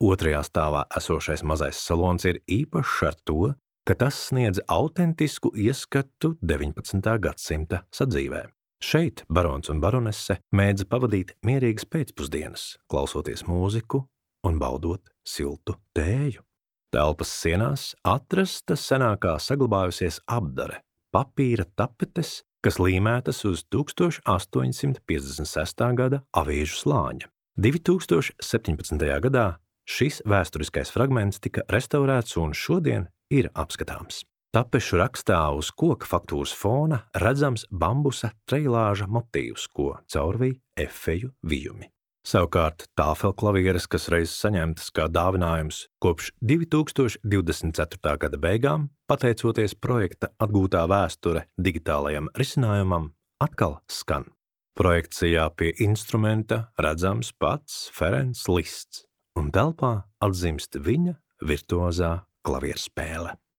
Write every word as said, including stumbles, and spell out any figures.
Otrajā stāvā esošais mazais salons ir īpašs ar to, ka tas sniedz autentisku ieskatu deviņpadsmitā gadsimta sadzīvē. Šeit barons un baronese mēdza pavadīt mierīgas pēcpusdienas, klausoties mūziku un baudot siltu tēju. Telpas sienās atrasta senākā saglabājusies apdare, papīra tapetes, kas līmētas uz tūkstoš astoņsimt piecdesmit sestā gada avīžu slāņa. divi tūkstoši septiņpadsmitajā gadā šis vēsturiskais fragments tika restaurēts un šodien ir apskatāms. Tapešu rakstā uz koka faktūras fona redzams bambusa treilāža motīvs, ko caurvij efeju vijumi. Savukārt tāfelklavieres, kas reiz saņemtas kā dāvinājums kopš divi tūkstoši divdesmit ceturtā gada beigām, pateicoties projekta atgūtā vēsture digitālajam risinājumam, atkal skan. Projekcijā pie instrumenta redzams pats Ferencs Lists, un telpā atzimst viņa virtuozā klavierspēle.